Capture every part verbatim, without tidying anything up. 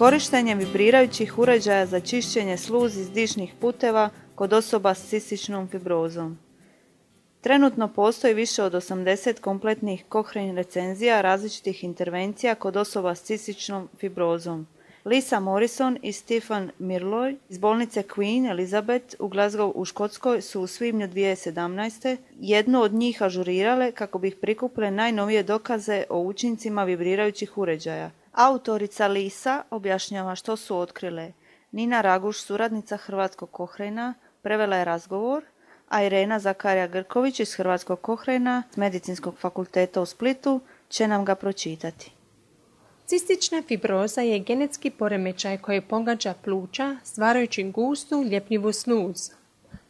Korištenje vibrirajućih uređaja za čišćenje sluzi iz dišnih puteva kod osoba s cističnom fibrozom. Trenutno postoji više od osamdeset kompletnih Cochrane recenzija različitih intervencija kod osoba s cističnom fibrozom. Lisa Morrison i Stephen Mirloy iz bolnice Queen Elizabeth u Glasgow u Škotskoj su u svibnju dvije tisuće sedamnaeste. jednu od njih ažurirale kako bi ih prikupile najnovije dokaze o učincima vibrirajućih uređaja. Autorica Lisa objašnjava što su otkrile. Nina Raguš, suradnica Hrvatskog Cochrana, prevela je razgovor, a Irena Zakarija Grković iz Hrvatskog Cochrana s Medicinskog fakulteta u Splitu će nam ga pročitati. Cistična fibroza je genetski poremećaj koji pogađa pluća stvarajući gustu, ljepljivu sluz.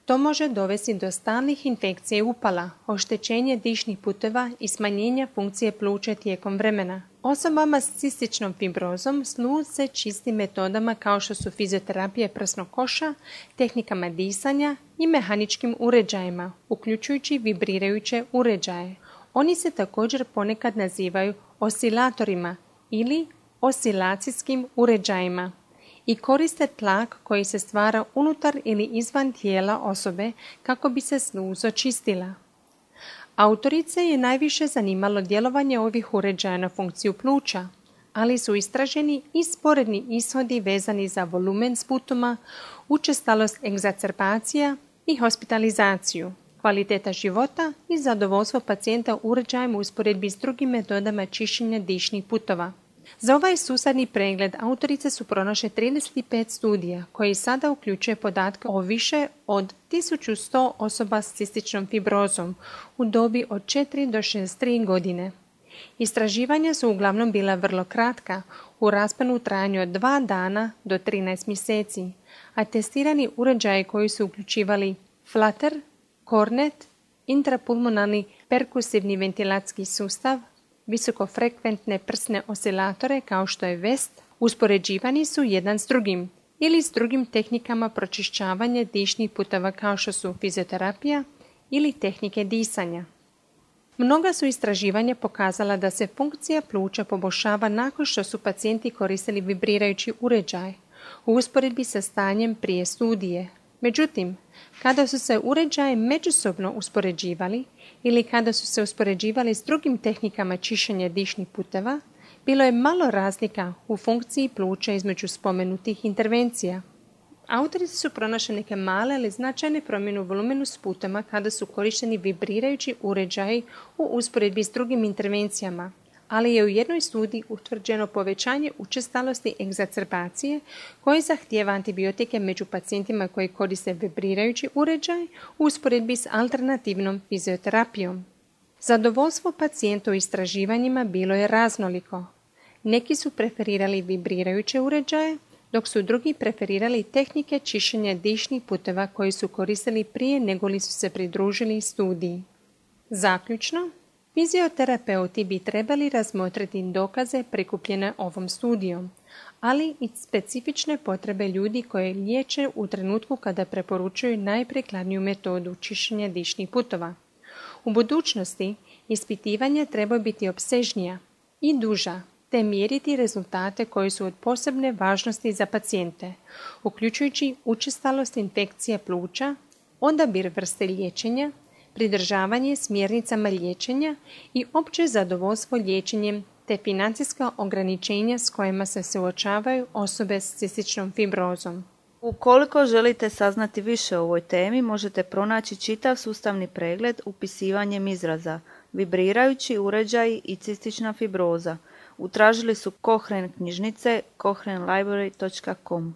To može dovesti do stalnih infekcija i upala, oštećenje dišnih puteva i smanjenja funkcije pluća tijekom vremena. Osobama s cističnom fibrozom sluz se čisti metodama kao što su fizioterapija prsnog koša, tehnikama disanja i mehaničkim uređajima, uključujući vibrirajuće uređaje. Oni se također ponekad nazivaju oscilatorima ili oscilacijskim uređajima i koriste tlak koji se stvara unutar ili izvan tijela osobe kako bi se sluz očistila. Autorice je najviše zanimalo djelovanje ovih uređaja na funkciju pluća, ali su istraženi i sporedni ishodi vezani za volumen sputuma, učestalost egzacerbacija i hospitalizaciju, kvaliteta života i zadovoljstvo pacijenta uređajem u usporedbi s drugim metodama čišćenja dišnih putova. Za ovaj sustavni pregled autorice su pronašle trideset pet studija koji sada uključuje podatke o više od tisuću sto osoba s cističnom fibrozom u dobi od četiri do šezdeset tri godine. Istraživanja su uglavnom bila vrlo kratka, u rasponu u trajanju od dva dana do trinaest mjeseci, a testirani uređaji koji su uključivali flutter, cornet, intrapulmonalni perkusivni ventilacijski sustav, visokofrekventne prsne oscilatore kao što je vest, uspoređivani su jedan s drugim ili s drugim tehnikama pročišćavanja dišnih puteva kao što su fizioterapija ili tehnike disanja. Mnoga su istraživanja pokazala da se funkcija pluća poboljšava nakon što su pacijenti koristili vibrirajući uređaj u usporedbi sa stanjem prije studije. Međutim, kada su se uređaji međusobno uspoređivali ili kada su se uspoređivali s drugim tehnikama čišćenja dišnih puteva, bilo je malo razlika u funkciji pluća između spomenutih intervencija. Autorici su pronašli neke male ali značajne promjene u volumenu sputama kada su korišteni vibrirajući uređaji u usporedbi s drugim intervencijama, ali je u jednoj studiji utvrđeno povećanje učestalosti egzacerbacije koje zahtijeva antibiotike među pacijentima koji koriste vibrirajući uređaj u usporedbi s alternativnom fizioterapijom. Zadovoljstvo pacijenta u istraživanjima bilo je raznoliko. Neki su preferirali vibrirajuće uređaje, dok su drugi preferirali tehnike čišćenja dišnih puteva koji su koristili prije nego li su se pridružili studiji. Zaključno, fizioterapeuti bi trebali razmotriti dokaze prikupljene ovom studijom, ali i specifične potrebe ljudi koje liječe u trenutku kada preporučuju najprikladniju metodu čišćenja dišnih putova. U budućnosti ispitivanja trebaju biti opsežnija i duža, te mjeriti rezultate koji su od posebne važnosti za pacijente, uključujući učestalost infekcije pluća, odabir vrste liječenja, pridržavanje smjernicama liječenja i opće zadovoljstvo liječenjem te financijska ograničenja s kojima se suočavaju osobe s cističnom fibrozom. Ukoliko želite saznati više o ovoj temi, možete pronaći čitav sustavni pregled upisivanjem izraza vibrirajući uređaji i cistična fibroza. Utražili su Cochrane knjižnice cochrane library dot com.